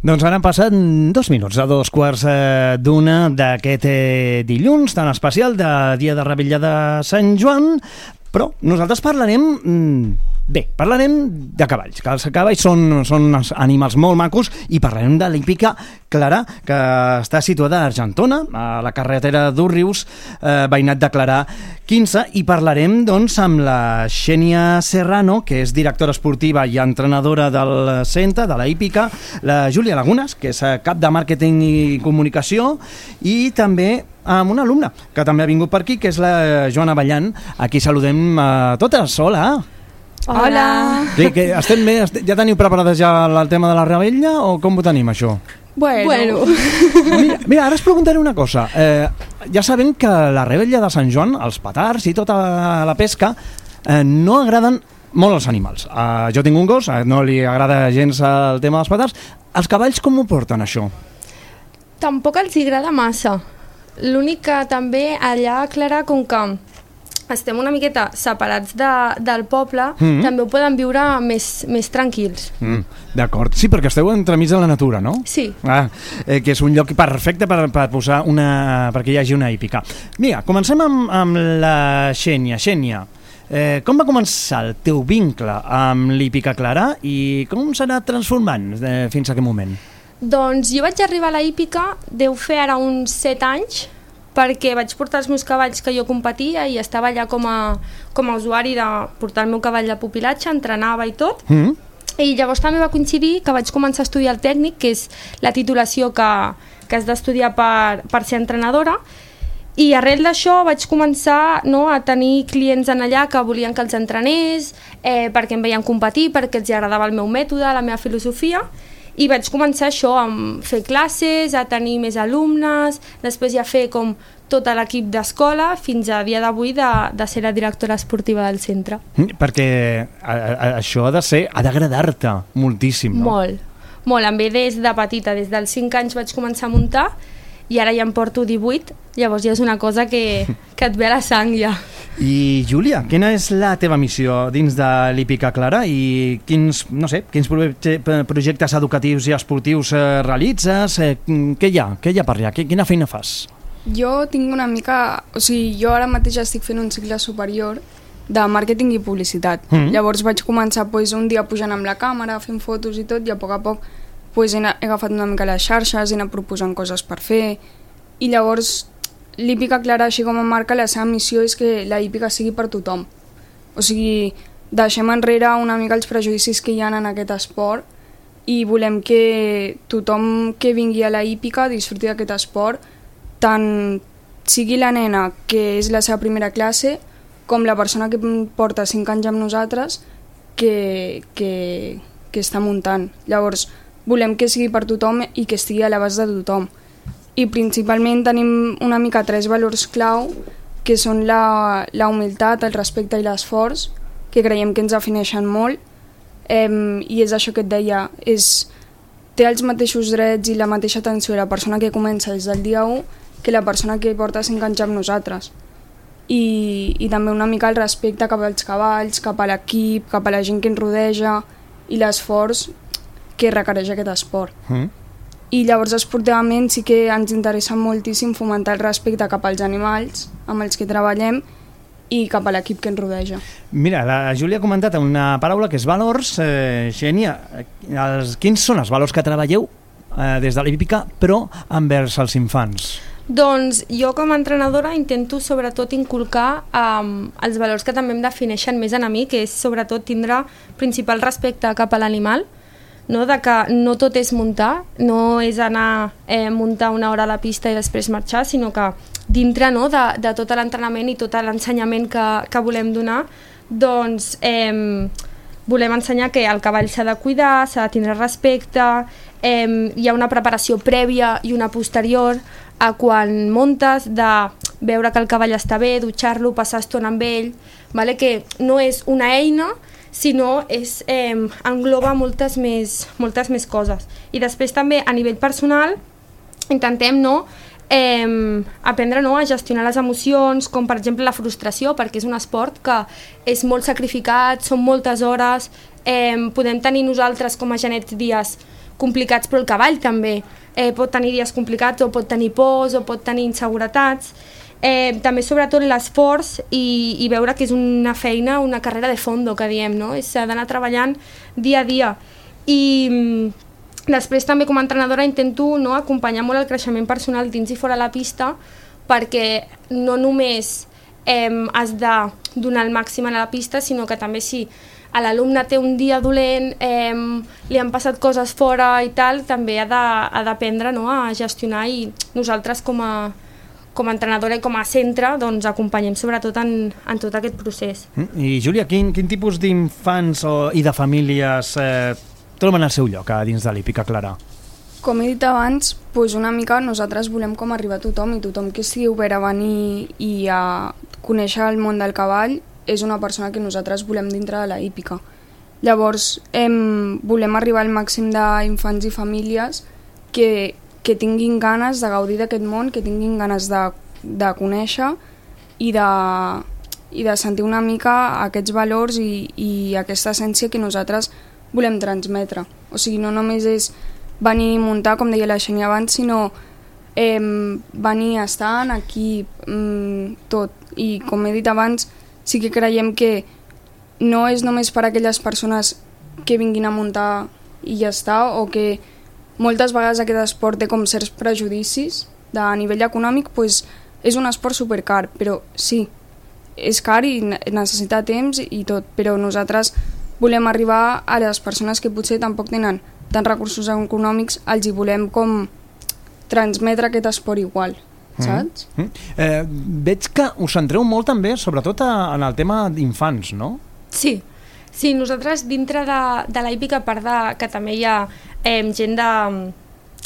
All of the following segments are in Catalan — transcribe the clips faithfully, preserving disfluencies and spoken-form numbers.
Doncs ara han passat dos minuts a dos quarts eh, d'una d'aquest eh, dilluns tan especial de Dia de Revetlla de Sant Joan, però nosaltres parlarem... Mm, bé, parlarem de cavalls, que els cavalls són, són animals molt macos, i parlarem de l'hípica Clarà, que està situada a Argentona, a la carretera d'Òrrius, eh, veïnat de Clarà quinze, i parlarem doncs amb la Xènia Serrano, que és directora esportiva i entrenadora del centre, de la hípica, la Júlia Lagunas, que és cap de màrqueting i comunicació, i també amb una alumna que també ha vingut per aquí, que és la Joana Ballant. Aquí saludem a totes. Hola! Hola! Sí, que estem bé? Ja teniu preparades ja el tema de la revetlla o com ho tenim, això? Bueno, bueno. Mira, mira, ara us preguntaré una cosa. Eh, ja sabem que la revetlla de Sant Joan, els petards i tota la pesca, eh, no agraden molt als animals. Eh, jo tinc un gos, eh, no li agrada gens el tema dels petards. Els cavalls com ho porten, això? Tampoc els agrada massa. L'únic que també allà, Clara, com que estem una miqueta separats de, del poble, mm-hmm. també ho poden viure més, més tranquils. Mm, d'acord. Sí, perquè esteu entremig de la natura, no? Sí. Ah, eh, que és un lloc perfecte per, per posar una... perquè hi hagi una hípica. Mira, comencem amb, amb la Xènia. Xènia, eh, com va començar el teu vincle amb l'hípica Clarà i com s'ha anat transformant eh, fins a aquest moment? Doncs jo vaig arribar a la hípica, deu fer ara uns set anys, perquè vaig portar els meus cavalls que jo competia i estava allà com a, com a usuari de portar el meu cavall de pupilatge, entrenava i tot. Mm. I llavors també va coincidir que vaig començar a estudiar el tècnic, que és la titulació que, que has d'estudiar per, per ser entrenadora, i arrel d'això vaig començar, no, a tenir clients en allà que volien que els entrenés, eh, perquè em veien competir, perquè els agradava el meu mètode, la meva filosofia, i vaig començar això, a fer classes, a tenir més alumnes, després ja fer com tot l'equip d'escola, fins a dia d'avui de, de ser la directora esportiva del centre. Perquè a, a, això ha de ser, ha d'agradar-te moltíssim, no? Molt, molt. Em ve des de petita, des dels cinc anys vaig començar a muntar, i ara ja em porto divuit, llavors ja és una cosa que, que et ve a la sang ja. I Júlia, quina és la teva missió dins de l'hípica Clarà i quins, no sé, quins projectes educatius i esportius eh, realitzes? Eh, què hi ha? Què hi ha per allà? Quina feina fas? Jo tinc una mica... O sigui, jo ara mateix estic fent un cicle superior de màrqueting i publicitat. Mm. Llavors vaig començar pues, un dia pujant amb la càmera, fent fotos i tot, i a poc a poc pues, he, he agafat una mica les xarxes, he anat proposant coses per fer, i llavors l'hípica Clarà, així com a marca, la seva missió és que la hípica sigui per tothom. O sigui, deixem enrere una mica els prejudicis que hi ha en aquest esport i volem que tothom que vingui a la hípica disfruti d'aquest esport, tant sigui la nena, que és la seva primera classe, com la persona que porta cinc anys amb nosaltres, que, que, que està muntant. Llavors, volem que sigui per tothom i que estigui a l'abast de tothom. I principalment tenim una mica tres valors clau, que són la, la humilitat, el respecte i l'esforç, que creiem que ens defineixen molt, eh, i és això que et deia, és, té els mateixos drets i la mateixa atenció la persona que comença des del dia u que la persona que porta cinc anys amb nosaltres. I, i també una mica el respecte cap als cavalls, cap a l'equip, cap a la gent que ens rodeja i l'esforç que requereix aquest esport. Mm. I llavors esportivament sí que ens interessa moltíssim fomentar el respecte cap als animals amb els que treballem i cap a l'equip que ens rodeja. Mira, la Júlia ha comentat una paraula que és valors. Eh, Xènia, els, quins són els valors que treballeu eh, des de l'hípica però envers els infants? Doncs jo com a entrenadora intento sobretot inculcar um, els valors que també em defineixen més a mi, que és sobretot tindre principal respecte cap a l'animal, no? De que no tot és muntar, no és anar a eh, muntar una hora a la pista i després marxar, sinó que dintre, no, de, de tot l'entrenament i tot l'ensenyament que, que volem donar, doncs eh, volem ensenyar que el cavall s'ha de cuidar, s'ha de tindre respecte, eh, hi ha una preparació prèvia i una posterior a quan muntes, de veure que el cavall està bé, dutxar-lo, passar estona amb ell, vale? Que no és una eina, sinó és, eh, engloba moltes més, moltes més coses. I després també a nivell personal intentem no, eh, aprendre no, a gestionar les emocions, com per exemple la frustració, perquè és un esport que és molt sacrificat, són moltes hores, eh, podem tenir nosaltres com a genets dies complicats, però el cavall també eh, pot tenir dies complicats, o pot tenir pors, o pot tenir inseguretats. Eh, també sobretot l'esforç i, i veure que és una feina, una carrera de fondo, que diem, no? S'ha d'anar treballant dia a dia. I després també com a entrenadora intento, no, acompanyar molt el creixement personal dins i fora la pista, perquè no només eh, has de donar el màxim a la pista, sinó que també si a l'alumne té un dia dolent, eh, li han passat coses fora i tal, també ha d'aprendre, no, a gestionar, i nosaltres com a, com a entrenadora i com a centre doncs, acompanyem sobretot en, en tot aquest procés. I Júlia, quin, quin tipus d'infants i de famílies eh, troben el seu lloc a dins de l'Hípica Clarà? Com he dit abans, doncs una mica nosaltres volem com arribar a tothom, i tothom que estigui obert a venir i a conèixer el món del cavall és una persona que nosaltres volem dintre de la hípica. Llavors, hem, volem arribar al màxim d'infants i famílies que, que tinguin ganes de gaudir d'aquest món, que tinguin ganes de, de conèixer i de, i de sentir una mica aquests valors i, i aquesta essència que nosaltres volem transmetre. O sigui, no només és venir a muntar, com deia la Xènia abans, sinó eh, venir a estar en equip, mm, tot. I com he dit abans, sí que creiem que no és només per a aquelles persones que vinguin a muntar i ja està, o que moltes vegades aquest esport té com certs prejudicis de nivell econòmic, doncs és un esport supercar, però sí, és car i necessita temps i tot, però nosaltres volem arribar a les persones que potser tampoc tenen tants recursos econòmics, els hi volem com transmetre aquest esport igual, saps? Mm -hmm. eh, veig que us centreu molt també, sobretot a, en el tema d'infants, no? Sí, sí, nosaltres dintre de, de la hípica, a part de que també hi ha eh, gent de,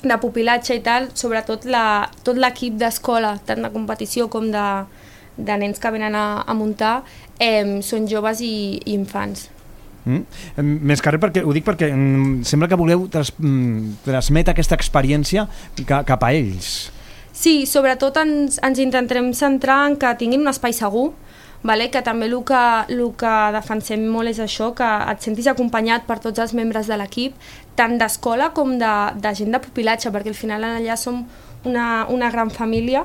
de pupilatge i tal, sobretot la, tot l'equip d'escola, tant de competició com de, de nens que venen a, a muntar, eh, són joves i, i infants. Mm. Més que res, perquè, ho dic perquè mm, sembla que voleu tras, mm, transmetre aquesta experiència ca, cap a ells. Sí, sobretot ens, ens intentarem centrar en que tinguin un espai segur, vale? Que també el que, el que defensem molt és això, que et sentis acompanyat per tots els membres de l'equip, tant d'escola com de, de gent de pupilatge, perquè al final allà som una, una gran família.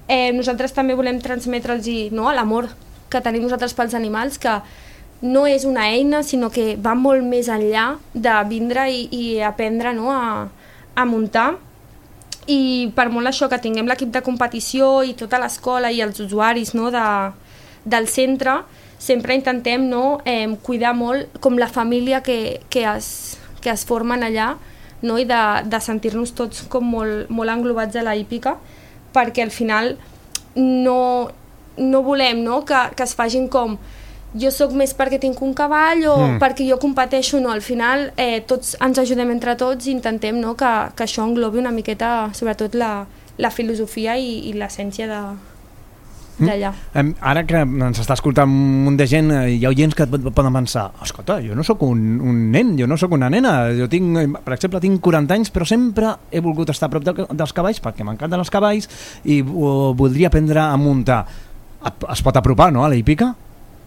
Eh, nosaltres també volem transmetre'ls, no, l'amor que tenim nosaltres pels animals, que no és una eina, sinó que va molt més enllà de vindre i, i aprendre, no, a, a muntar. I per molt això que tinguem l'equip de competició i tota l'escola i els usuaris, no, de, del centre, sempre intentem, no, eh, cuidar molt com la família que, que, es, que es formen allà, no, i de, de sentir-nos tots com molt, molt englobats a la hípica, perquè al final no, no volem, no, que, que es facin com jo sóc més perquè tinc un cavall o mm. perquè jo competeixo, no, al final eh, tots ens ajudem entre tots i intentem, no, que, que això englobi una miqueta sobretot la, la filosofia i, i l'essència d'allà. Mm. Ara que ens està escoltant un munt de gent, hi ha oients que poden pensar, escolta, jo no sóc un, un nen, jo no sóc una nena, jo tinc, per exemple, tinc quaranta anys, però sempre he volgut estar a prop de, dels cavalls perquè m'encanten els cavalls i o, voldria aprendre a muntar. Es pot apropar, no, a la hípica?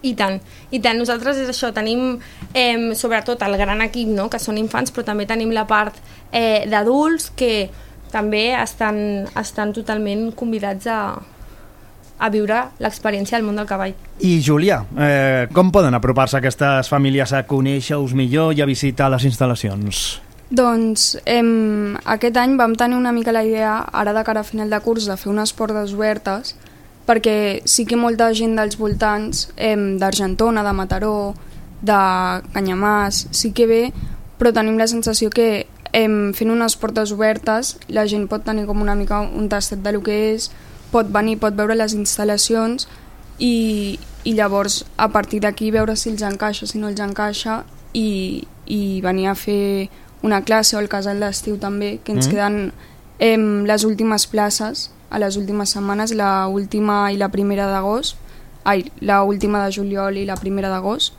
I tant, i tant. Nosaltres és això, tenim eh, sobretot el gran equip, no?, que són infants, però també tenim la part eh, d'adults que també estan, estan totalment convidats a, a viure l'experiència del món del cavall. I Júlia, eh, com poden apropar-se aquestes famílies a conèixer-us millor i a visitar les instal·lacions? Doncs eh, aquest any vam tenir una mica la idea, ara de cara a final de curs, de fer unes portes obertes, perquè sí que molta gent dels voltants, eh, d'Argentona, de Mataró, de Canyamàs, sí que ve, però tenim la sensació que eh, fent unes portes obertes la gent pot tenir com una mica un tastet de lo que és, pot venir, pot veure les instal·lacions i, i llavors a partir d'aquí veure si els encaixa, si no els encaixa i, i venir a fer una classe o el casal d'estiu també, que ens mm. queden eh, les últimes places a les últimes setmanes, la última i la primera d'agost, ai, la última de juliol i la primera d'agost,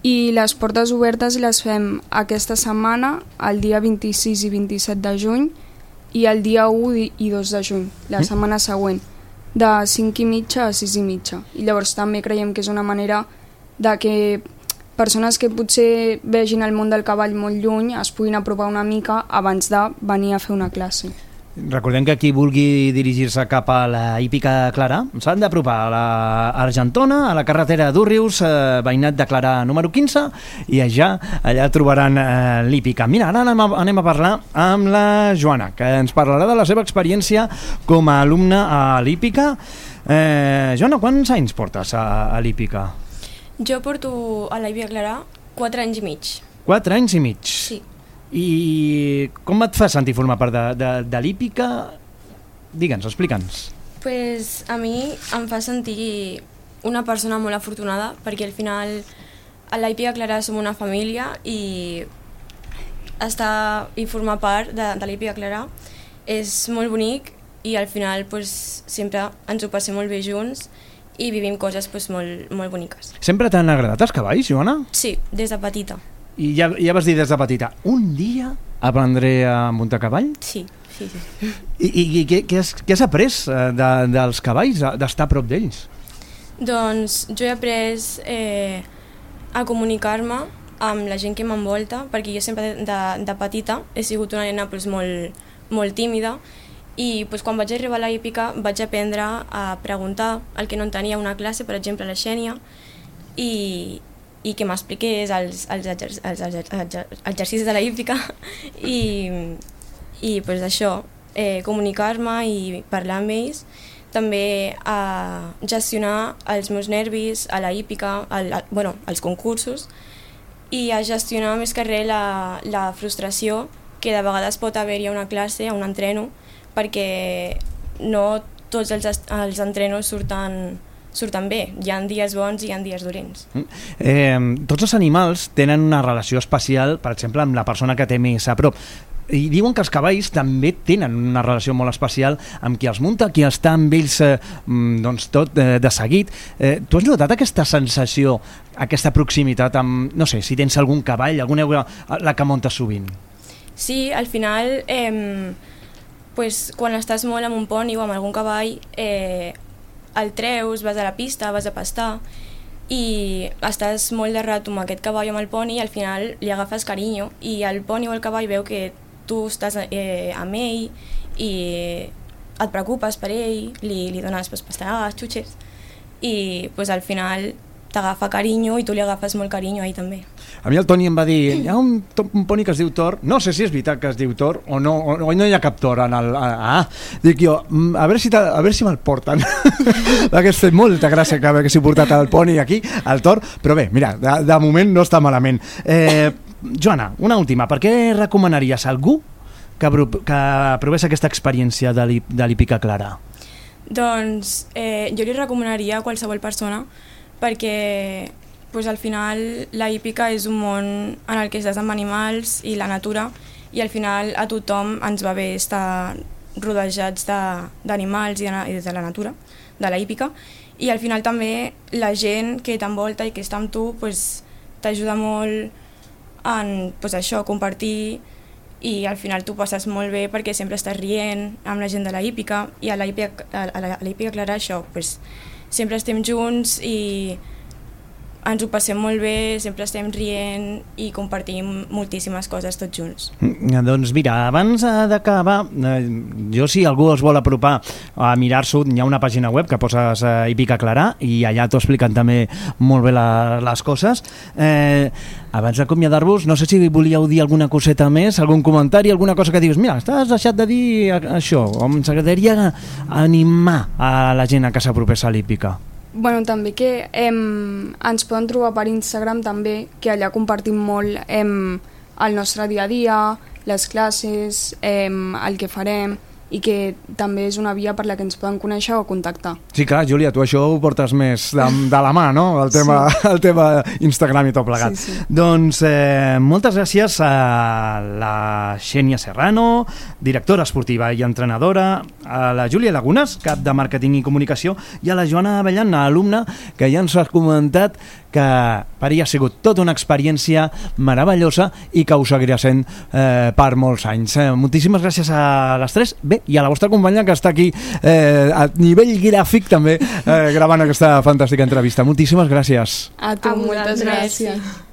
i les portes obertes les fem aquesta setmana, el dia vint-i-sis i vint-i-set de juny, i el dia u i dos de juny, la mm. setmana següent, de cinc i mitja a sis i mitja. I llavors també creiem que és una manera de que persones que potser vegin el món del cavall molt lluny es puguin apropar una mica abans de venir a fer una classe. Recordem que qui vulgui dirigir-se cap a la Hípica Clarà s'han d'apropar a l'Argentona, a la carretera d'Úrrius, eh, veïnat de Clarà número quinze, i allà, allà trobaran eh, l'Hípica. Mira, ara anem a, anem a parlar amb la Joana, que ens parlarà de la seva experiència com a alumna a l'Hípica. Eh, Joana, quants anys portes a, a l'Hípica? Jo porto a la Hípica Clarà quatre anys i mig. Quatre anys i mig? Sí. I com et fa sentir formar part de, de, de l'Hípica? Digue'ns, explica'ns. Pues a mi em fa sentir una persona molt afortunada, perquè al final a la Hípica Clarà som una família i estar i formar part de, de la Hípica Clarà és molt bonic i al final pues, sempre ens ho passem molt bé junts i vivim coses pues, molt, molt boniques. Sempre t'han agradat els cavalls, Joana? Sí, des de petita. I ja, ja vas dir des de petita, un dia aprendré a muntar cavall? Sí, sí, sí. I, i, i què, què, has, què has après de, dels cavalls, d'estar a prop d'ells? Doncs jo he après eh, a comunicar-me amb la gent que m'envolta, perquè jo sempre de, de petita he sigut una nena pues, molt, molt tímida i pues, quan vaig arribar a la Hípica vaig aprendre a preguntar el que no entenia una classe, per exemple a la Xènia, i i que m'expliqués els, els, exer els, els, els exercicis de la Hípica i, i pues, això, eh, comunicar-me i parlar amb ells, també a gestionar els meus nervis a la Hípica, al, a, bueno, als concursos, i a gestionar més que res la, la frustració que de vegades pot haver-hi a una classe, a un entreno, perquè no tots els, els entrenos surten surten bé. Hi ha dies bons i hi ha dies dolents. Eh, tots els animals tenen una relació especial, per exemple, amb la persona que té més a prop. I diuen que els cavalls també tenen una relació molt especial amb qui els munta, qui està amb ells eh, doncs tot eh, de seguit. Eh, tu has notat aquesta sensació, aquesta proximitat amb, no sé, si tens algun cavall, alguna la que muntes sovint? Sí, al final, eh, pues, quan estàs molt amb un poni o amb algun cavall, eh, el treus, vas a la pista, vas a pastar i estàs molt de rato amb aquest cavall o amb el poni i al final li agafes carinyo i el poni o el cavall veu que tu estàs eh, amb ell i et preocupes per ell, li, li dones pues, pastarades, xutxes i pues, al final t'agafa carinyo i tu li agafes molt carinyo a ell també. A mi el Toni em va dir, hi ha un, un poni que es diu Thor, no sé si és veritat que es diu Thor o no, o no hi ha cap Thor en el... Ah, dic jo, a veure si, a veure si me'l porten. Hauria fet molta gràcia que haguessi portat el poni aquí, el Thor, però bé, mira, de, de moment no està malament. Eh, Joana, una última, per què recomanaries a algú que, que provés aquesta experiència de l'Hípica Clarà? Doncs eh, jo li recomanaria a qualsevol persona perquè pues, al final la hípica és un món en el que estàs amb animals i la natura i al final a tothom ens va bé estar rodejats d'animals i, i de la natura, de la hípica i al final també la gent que t'envolta i que està amb tu pues, t'ajuda molt en pues, això, compartir i al final tu passes molt bé perquè sempre estàs rient amb la gent de la hípica i a la hípica, a la, a la hípica Clarà això, pues, sempre estem junts i ens ho passem molt bé, sempre estem rient i compartim moltíssimes coses tots junts. Mm, doncs mira, abans d'acabar, eh, jo si algú es vol apropar a mirar-s'ho, hi ha una pàgina web que poses eh, Hípica Clarà i allà t'ho expliquen també molt bé la, les coses. Eh, abans d'acomiadar-vos, no sé si volíeu dir alguna coseta més, algun comentari, alguna cosa que dius, mira, estàs deixat de dir això, o ens agradaria animar a la gent a que s'apropés a l'hípica. Bueno, també que em, ens poden trobar per Instagram també, que allà compartim molt em, el nostre dia a dia, les classes, em, el que farem i que també és una via per la que ens poden conèixer o contactar. Sí, clar, Júlia, tu això ho portes més de, de la mà, no? El tema, sí. El tema Instagram i tot plegat. Sí, sí. Doncs eh, moltes gràcies a la Xènia Serrano, directora esportiva i entrenadora, a la Júlia Lagunas, cap de màrqueting i comunicació, i a la Joana Avellana, alumna, que ja ens ha comentat que per ella ha sigut tota una experiència meravellosa i que us seguirà sent eh, per molts anys. Eh, moltíssimes gràcies a les tres. Bé, i a la vostra companya que està aquí eh, a nivell gràfic també eh, gravant aquesta fantàstica entrevista. Moltíssimes gràcies. A tu, A moltes vosaltres. gràcies.